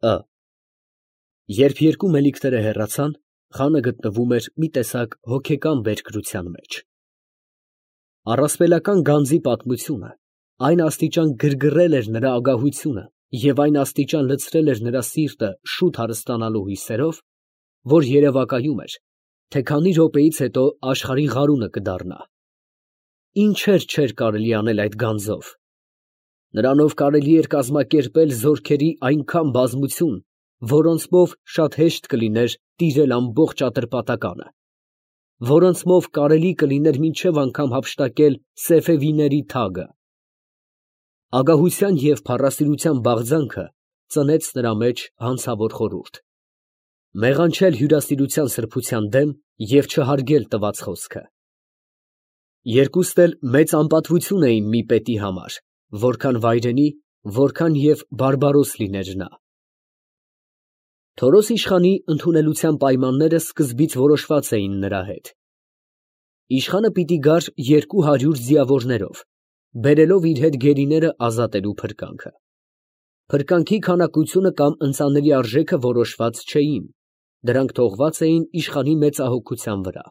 Ը Երբ երկու մելիքները հեռացան, խանը գտնվում էր մի տեսակ հոգեկան բերկրության մեջ։ Առասպելական գանձի պատմությունը այն աստիճան գրգռել էր նրա ագահությունը և այն աստիճան լցրել էր նրա սիրտը շուտ հարստանալու հույսերով, որ երևակայում էր, թե քանի րոպեից հետո աշխարհի ղարունը կդառնա։ Ինչեր չէր կարելի անել այդ գանձով։ Նրանով կարելի էր կազմակերպել զորքերի այնքան բազմություն, որոնցմով շատ հեշտ կլիներ տիրել ամբողջ Ատրպատականը, որոնցմով կարելի կլիներ մինչև անգամ հափշտակել սեֆևիների թագը։ Ագահության և փառասիրության բաղձանքը ծնեց նրա մեջ հանցավոր խորհուրդ. մեղանչել հյուրասիրության սրբության դեմ և չհարգել տված խոսքը։ Երկուստ էլ մեծ անպատվություն էին մի պետի համար, որքան վայրենի, որքան և բարբարոս լիներ նա։ Թորոս իշխանի ընդունելության պայմանները սկզբից որոշված էին նրա հետ։ Իշխանը պիտի գար 200 ձիավորներով, բերելով իր հետ գերիները ազատելու փրկանքը։ Փրկանքի քանակությունը կամ ընծաների արժեքը որոշված չէին, դրանք թողված էին իշխանի մեծահոգության վրա։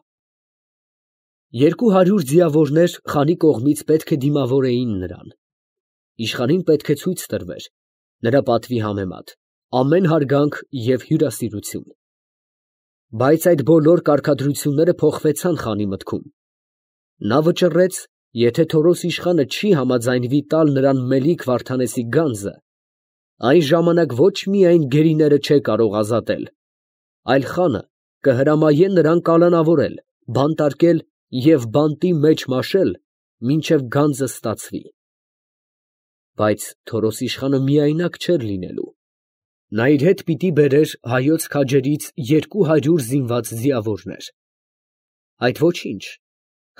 200 ձիավորներ խանի կողմից պետք է դիմավորեին նրան։ Իշխանին պետք է ցույց տրվեր, նրա պատվի համեմատ, ամեն հարգանք և հյուրասիրություն։ Բայց այդ բոլոր կարգադրությունները փոխվեցան խանի մտքում։ Նա վճռեց, եթե Թորոս իշխանը չի համաձայնվի տալ նրան Մելիք Վարդանեսի գանձը, այն ժամանակ ոչ միայն գերիները չէ կարող ազատել, այլ խանը կհրամայե նրան կալանավորել, բանտարկել և բանտի մեջ մաշել, մինչև գանձը ստացվի։ Բայց Թորոս իշխանը միայնակ չէր լինելու։ Նա իր հետ պիտի բերեր հայոց քաջերից 200 զինված ձիավորներ։ Այդ ոչինչ,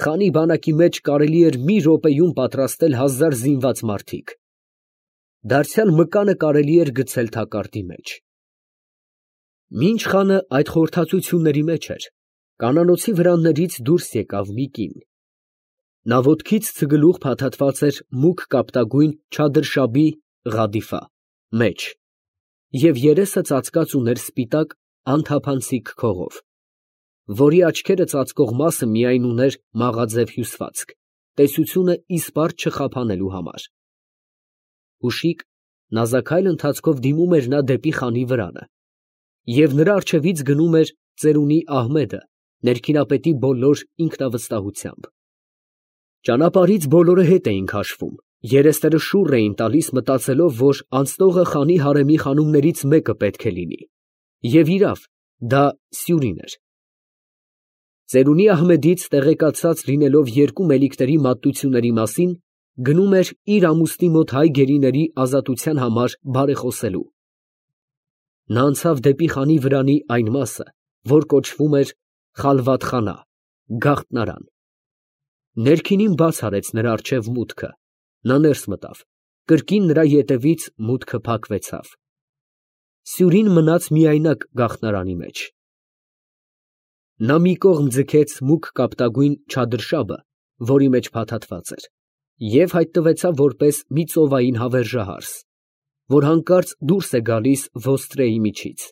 խանի բանակի մեջ կարելի էր մի րոպեում պատրաստել 1000 զինված մարդիկ։ Դարձյալ մկանը կարելի էր գցել թակարդի մեջ։ Մինչ խանը այդ խորհրդածությունների մեջ էր, կանանոցի վրաններից դուրս եկավ մի կին։ Նա ոտքից ցգլուխ փաթաթված էր մուգ կապտագույն չադրշաբի (ղադիֆա) մեջ և երեսը ծածկած ուներ սպիտակ անթափանցիկ քողով, որի աչքերը ծածկող մասը միայն ուներ մաղաձև հյուսվածք, տեսությունը իսպառ չխափանելու համար։ Ուշիկ նազաքայլ ընթացքով դիմում էր նա դեպի խանի վրանը, և նրա առջևից գնում էր ծերունի Ահմեդը ներքինապետի բոլոր ինքնավստահությամբ։ Ճանապարհից բոլորը հետ էին քաշվում, երեսները շուռ էին տալիս, մտածելով, որ անցնողը խանի հարեմի խանումներից մեկը պետք է լինի, և իրավ, դա Սյուրին էր։ Ծերունի Ահմեդից տեղեկացած լինելով երկու մելիքների մատությունների մասին, գնում էր իր ամուսնի մոտ հայ գերիների ազատության համար բարեխոսելու։ Նա անցավ դեպի խանի վրանի այն մասը, որ կոչվում էր Խալվաթխանա (գաղտնարան)։ Ներքինին բաց արեց նրա առջև մուտքը, նա ներս մտավ, կրկին նրա ետևից մուտքը փակվեցավ։ Սյուրին մնաց միայնակ գաղտնարանի մեջ։ Նա մի կողմ ձգեց մուգ կապտագույն չադրշաբը, որի մեջ փաթաթված էր, և հայտնվեցավ որպես մի ծովային հավերժահարս, որ հանկարծ դուրս է գալիս ոստրեի միջից։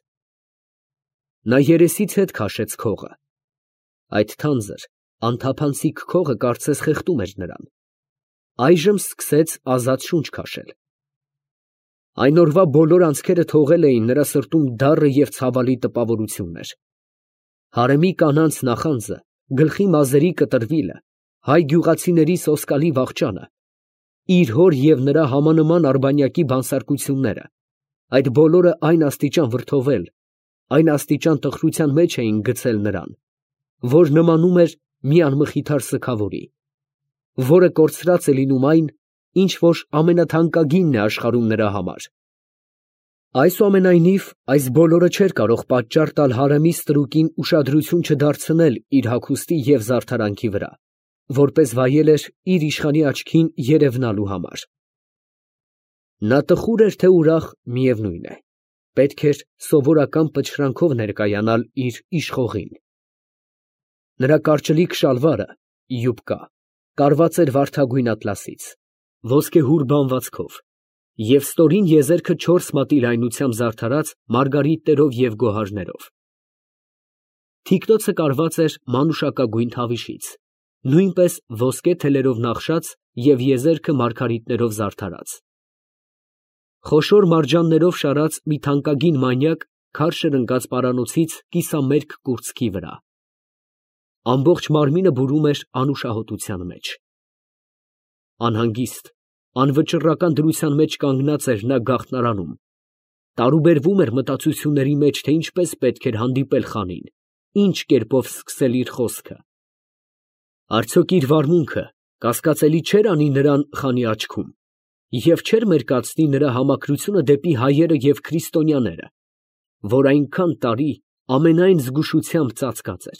Նա երեսից հետ քաշեց քողը։ Այդ թանձր, անթափանցիկ քողը կարծես խեղդում էր նրան։ Այժմ սկսեց ազատ շունչ քաշել։ Այն օրվա բոլոր անցքերը թողել էին նրա սրտում դառը և ցավալի տպավորություններ։ Հարեմի կանանց նախանձը, գլխի մազերի կտրվիլը, հայ գյուղացիների սոսկալի վախճանը, իր հոր և նրա համանման արբանյակի բանսարկությունները, այդ բոլորը այն աստիճան վրդովել, այն աստիճան տխրության մեջ էին գցել նրան, որ նմանում էր մի անմխիթար սգավորի, որը կորցրած է լինում այն, ինչ որ ամենաթանկագինն է աշխարհում նրա համար։ Այսուամենայնիվ, այս բոլորը չէր կարող պատճառ տալ հարեմի ստրուկին ուշադրություն չդարձնել իր հագուստի և զարդարանքի վրա, որպես վայել էր իր իշխանի աչքին երևնալու համար։ Նա տխուր էր թե ուրախ, միևնույն է, պետք էր սովորական պչրանքով ներկայանալ իր իշխողին։ Նրա կարճլիկ շալվարը (յուբկա) կարված էր վարդագույն ատլասից, ոսկեհուր բանվածքով, Եվ ստորին եզերքը 4 մատի լայնությամբ զարդարած մարգարիտներով և գոհարներով։ Թիկնոցը կարված էր մանուշակագույն թավիշից, նույնպես ոսկե թելերով նախշած և եզերքը մարգարիտներով զարդարած։ Խոշոր մարջաններով շարած մի թանկագին մանյակ քարշր ընկած պարանոցից կիսամերկ կուրծքի վրա։ Ամբողջ մարմինը բուրում էր անուշահոտության մեջ։ Անհանգիստ, անվճռական դրության մեջ կանգնած էր նա գաղտնարանում, տարուբերվում էր մտածությունների մեջ, թե ինչպես պետք էր հանդիպել խանին, ինչ կերպով սկսել իր խոսքը։ Արդյոք իր վարմունքը կասկածելի չէր անի նրան խանի աչքում և չէր մերկացնի նրա համակրությունը դեպի հայերը և քրիստոնյաները, որ այնքան տարի ամենայն զգուշությամբ ծածկած էր։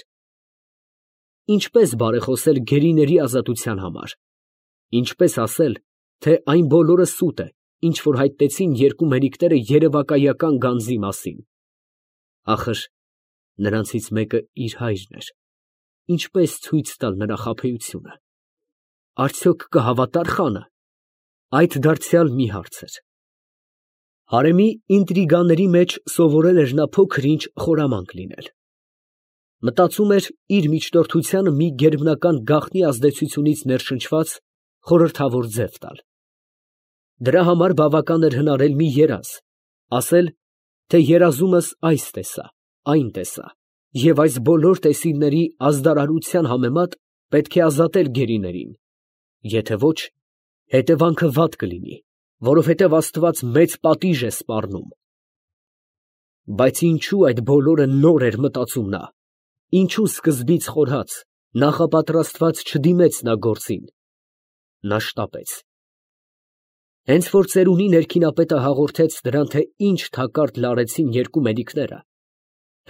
Ինչպես բարեխոսել գերիների ազատության համար, ինչպես ասել, թե այն բոլորը սուտ է, ինչ որ հայտնեցին երկու մերիկները երևակայական գանձի մասին։ Ախր նրանցից մեկը իր հայրն էր, ինչպես ցույց տալ նրա խաբեությունը։ Արդյոք կհավատա՞ր խանը։ Այդ դարձյալ մի հարց էր։ Հարեմի ինտրիգաների մեջ սովորել էր նա փոքր-ինչ խորամանկ լինել։ Մտածում էր իր միջնորդությանը մի գերբնական գաղտնի ազդեցությունից ներշնչված խորհրդավոր ձև տալ։ Դրա համար բավական էր հնարել մի երազ, ասել, թե երազումս այս տեսա, այն տեսա, և այս բոլոր տեսիլների ազդարարության համեմատ պետք է ազատել գերիներին, եթե ոչ, հետևանքը վատ կլինի, որովհետև Աստված մեծ պատիժ է սպառնում։ Բայց ինչու այդ բոլորը նոր էր մտածում նա, ինչու սկզբից խորհած, նախապատրաստված չդիմեց նա գործին։ Նա շտապեց։ Հենց որ ծերունի ներքինապետը հաղորդեց նրան, թե ինչ թակարդ լարեցին երկու մերիկները,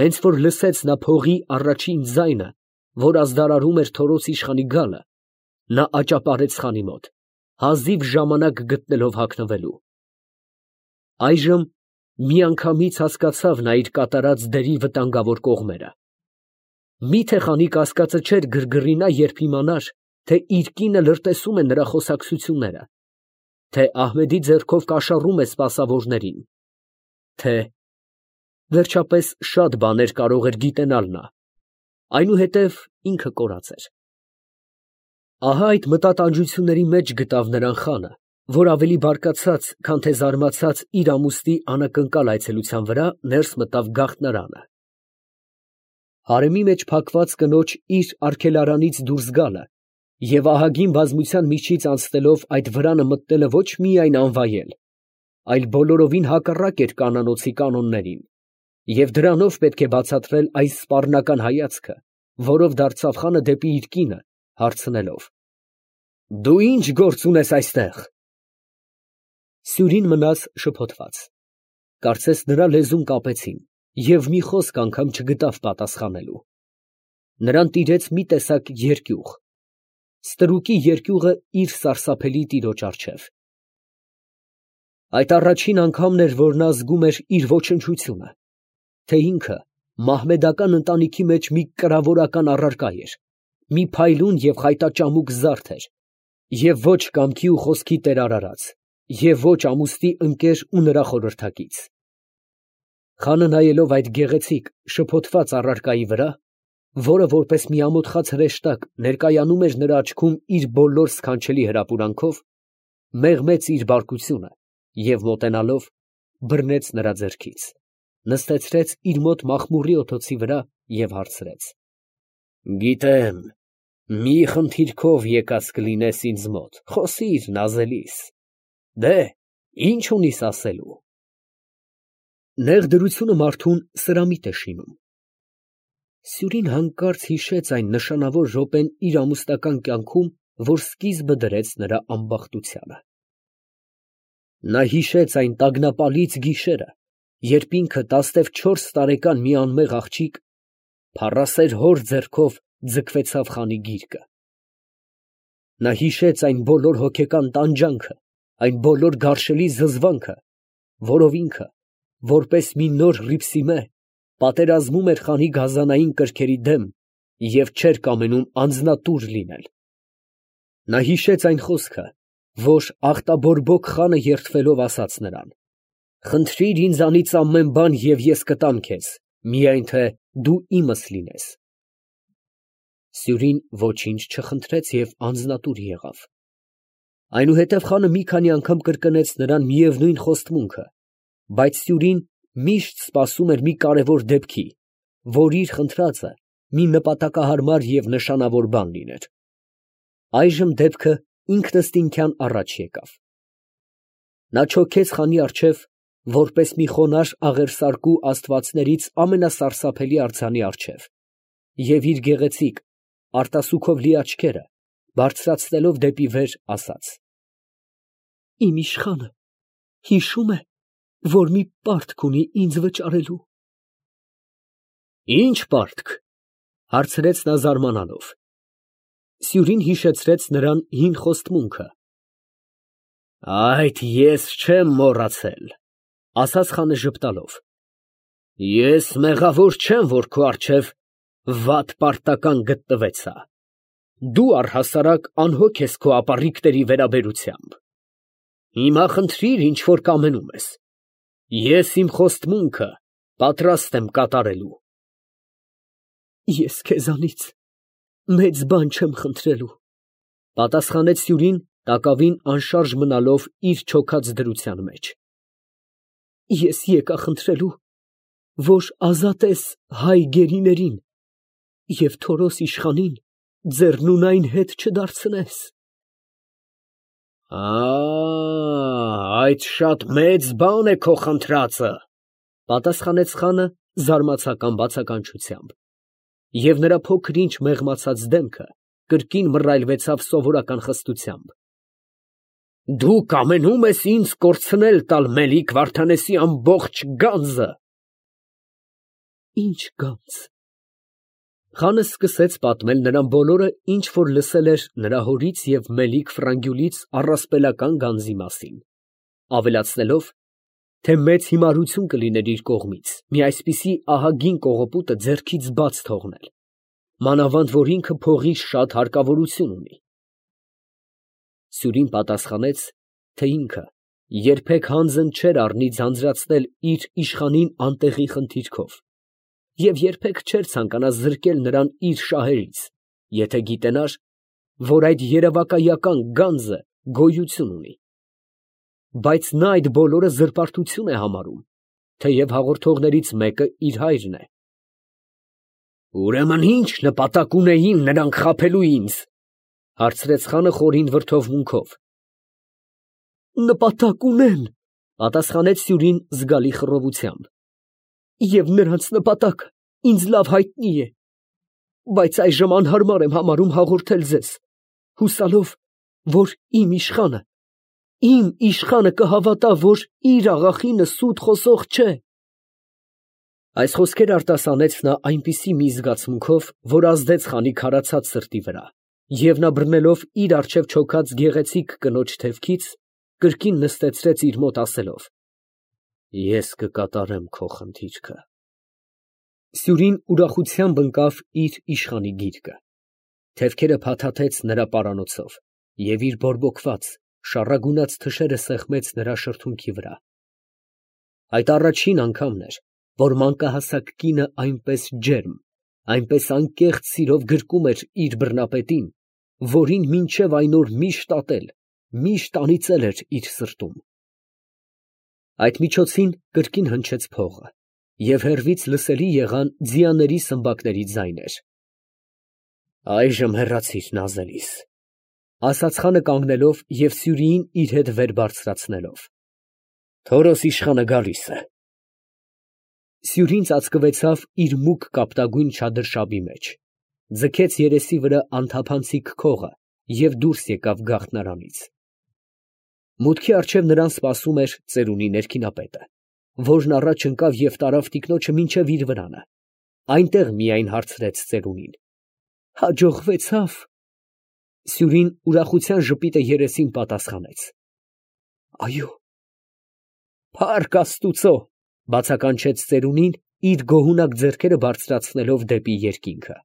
հենց որ լսեց նա փողի առաջին ձայնը, որ ազդարարում էր Թորոս իշխանի գալը, նա աճապարեց խանի մոտ, հազիվ ժամանակ գտնելով հագնվելու։ Այժմ միանգամից հասկացավ նա իր կատարած դերի վտանգավոր կողմերը։ Մի՞թե խանի կասկածը չէր գրգռի նա, երբ իմանար, թե իր կինը լրտեսում է նրա խոսակցությունները, թե Ահմեդի ձեռքով կաշառում է սպասավորներին, թե… Վերջապես շատ բաներ կարող էր գիտենալ նա, այնուհետև ինքը կորած էր։ Ահա այդ մտատանջությունների մեջ գտավ նրան խանը, որ ավելի բարկացած, քան թե զարմացած իր ամուսնի անակնկալ այցելության վրա, ներս մտավ գաղտնարանը։ Հարեմի մեջ փակված կնոջ իր արգելարանից դուրս գալը և ահագին բազմության միջից անցնելով այդ վրանը մտնելը ոչ միայն անվայել, այլ բոլորովին հակառակ էր կանանոցի կանոններին, և դրանով պետք է բացատրել այս սպառնական հայացքը, որով դարձավ խանը դեպի իր կինը, հարցնելով. «Դու ի՞նչ գործ ունես այստեղ»։ Սյուրին մնաց շփոթված, կարծես նրա լեզուն կապեցին, և մի խոսք անգամ չգտավ պատասխանելու։ Նրան տիրեց մի տեսակ երկյուղ, ստրուկի երկյուղը իր սարսափելի տիրոջ առջև։ Այդ առաջին անգամն էր, որ նա զգում էր իր ոչնչությունը, թե ինքը մահմեդական ընտանիքի մեջ մի կրավորական առարկա էր, մի փայլուն և խայտաճամուկ զարդ էր, և ոչ կամքի ու խոսքի տեր արարած, և ոչ ամուսնի ընկեր ու նրա խորհրդակից։ Խանը նայելով այդ գեղեցիկ, շփոթված առարկայի վրա, որը որպես մի ամոթխած հրեշտակ ներկայանում էր նրա աչքում իր բոլոր սքանչելի հրապուրանքով, մեղմեց իր բարկությունը և մոտենալով բռնեց նրա ձեռքից, նստեցրեց իր մոտ մախմուրի օդոցի վրա և հարցրեց. «Գիտեմ, մի խնդիրքով եկած կլինես ինձ մոտ, խոսիր նազելիս, դե, ի՞նչ ունիս ասելու»։ Նեղ դրությունը մարդուն սրամիտ է շինում։ Սյուրին հանկարծ հիշեց այն նշանավոր րոպեն իր ամուսնական կյանքում, որ սկիզբը դրեց նրա ամբախտությանը։ Նա հիշեց այն տագնապալից գիշերը, երբ ինքը 14 տարեկան մի անմեղ աղջիկ փառասեր հոր ձեռքով ձգվեցավ խանի գիրկը։ Նա հիշեց այն բոլոր հոգեկան տանջանքը, այն բոլոր գարշելի զզվանքը, որով ինքը, որպես մի նոր Ռիփսիմե, պատերազմում էր խանի գազանային կրքերի դեմ և չէր կամենում անձնատուր լինել։ Նա հիշեց այն խոսքը, որ աղտաբորբոք խանը երդվելով ասաց նրան. «Խնդրիր ինձանից ամեն բան և ես կտամ քեզ, միայն թե դու իմս լինես»։ Սյուրին ոչինչ չխնդրեց և անձնատուր եղավ։ Այնուհետև խանը մի քանի անգամ կրկնեց նրան միևնույն խոստմունքը, բայց Սյուրին միշտ սպասում էր մի կարևոր դեպքի, որ իր խնդրածը մի նպատակահարմար և նշանավոր բան լիներ։ Այժմ դեպքը ինքնըստինքյան առաջ եկավ։ Նա չոքեց խանի առջև, որպես մի խոնարհ աղերսարկու աստվածներից ամենասարսափելի արձանի առջև, և իր գեղեցիկ, արտասուքով լի աչքերը բարձրացնելով դեպի վեր, ասաց. «Իմ իշխանը հիշում է, որ մի պարտք ունի ինձ վճարելու»։ «Ի՞նչ պարտք» հարցրեց նա զարմանալով։ Սյուրին հիշեցրեց նրան հին խոստմունքը։ «Այդ ես չեմ մոռացել», ասաց խանը ժպտալով։ «Ես մեղավոր չեմ, որ քո առջև վատ պարտական գտնվեցա։ Դու առհասարակ անհոգ ես քո ապառիկների վերաբերությամբ։ Հիմա խնդրիր, ինչ որ կամենում ես, ես իմ խոստմունքը պատրաստ եմ կատարելու»։ «Ես քեզանից մեծ բան չեմ խնդրելու», պատասխանեց Սյուրին, տակավին անշարժ մնալով իր չոքած դրության մեջ։ «Ես եկա խնդրելու, որ ազատես հայ գերիներին և Թորոս իշխանին ձեռնունայն հետ չդարձնես»։ «Այդ շատ մեծ բան է քո խնդրածը», պատասխանեց խանը զարմացական բացականչությամբ, և նրա փոքր-ինչ մեղմացած դեմքը կրկին մռայլվեցավ սովորական խստությամբ։ «Դու կամենում ես ինձ կորցնել տալ Մելիք Վարդանեսի ամբողջ գանձը»։ «Ի՞նչ գանձ»։ Խանը սկսեց պատմել նրան բոլորը, ինչ որ լսել էր նրա հորից և Մելիք Ֆրանգյուլից առասպելական գանձի մասին, ավելացնելով, թե մեծ հիմարություն կլիներ իր կողմից մի այսպիսի ահագին կողոպուտը ձեռքից բաց թողնել, մանավանդ որ ինքը փողի շատ հարկավորություն ունի։ Սյուրին պատասխանեց, թե ինքը երբեք հանձն չէր առնի ձանձրացնել իր իշխանին անտեղի խնդիրքով և երբեք չէր ցանկանա զրկել նրան իր շահերից, եթե գիտենար, որ այդ երևակայական գանձը գոյություն ունի։ Բայց նա այդ բոլորը զրպարտություն է համարում, թեև հաղորդողներից մեկը իր հայրն է։ «Ուրեմն ի՞նչ նպատակ ունեին նրանք խաբելու ինձ», հարցրեց խանը խորին վրդովմունքով։ «Նպատակ ունեն», պատասխանեց Սյուրին զգալի խռովությամբ, «և նրանց նպատակը ինձ լավ հայտնի է, բայց այժմ անհարմար եմ համարում հաղորդել ձեզ, հուսալով, որ իմ իշխանը կհավատա, որ իր աղախինը սուտ խոսող չէ»։ Այս խոսքերը արտասանեց նա այնպիսի մի զգացմունքով, որ ազդեց խանի քարացած սրտի վրա, և նա բռնելով իր առջև չոքած գեղեցիկ կնոջ թևքից, կրկին նստեցրեց իր մոտ ասելով. «Ես կկատարեմ քո խնդիրքը»։ Սյուրին ուրախությամբ ընկավ իր իշխանի գիրկը, թևքերը փաթաթեց նրա պարանոցով և իր բորբոքված, շառագունած թշերը սեղմեց նրա շրթունքի վրա։ Այդ առաջին անգամն էր, որ մանկահասակ կինը այնպես ջերմ, այնպես անկեղծ սիրով գրկում էր իր բռնապետին, որին մինչև այն օր միշտ ատել, միշտ անիծել էր իր սրտում։ Այդ միջոցին կրկին հնչեց փողը, և հեռվից լսելի եղան ձիաների սմբակների ձայներ։ «Այժմ հեռացիր նազելիս», ասաց խանը կանգնելով և Սյուրիին իր հետ վեր բարձրացնելով։ «Թորոս իշխանը գալիս է»։ Սյուրին ծածկվեցավ իր մուգ կապտագույն չադրշաբի մեջ, ձգեց երեսի վրա անթափանցիկ քողը և դուրս եկավ գաղտնարանից։ Մուտքի առջև նրան սպասում էր ծերունի ներքինապետը, որն առաջ ընկավ և տարավ տիկնոջը մինչև իր վրանը, այնտեղ միայն հարցրեց ծերունին. «Հաջողվեցա՞վ»։ Սյուրին ուրախության ժպիտը երեսին պատասխանեց. «Այո»։ «Փառք Աստուծո», բացականչեց ծերունին, իր գոհունակ ձեռքերը բարձրացնելով դեպի երկինքը։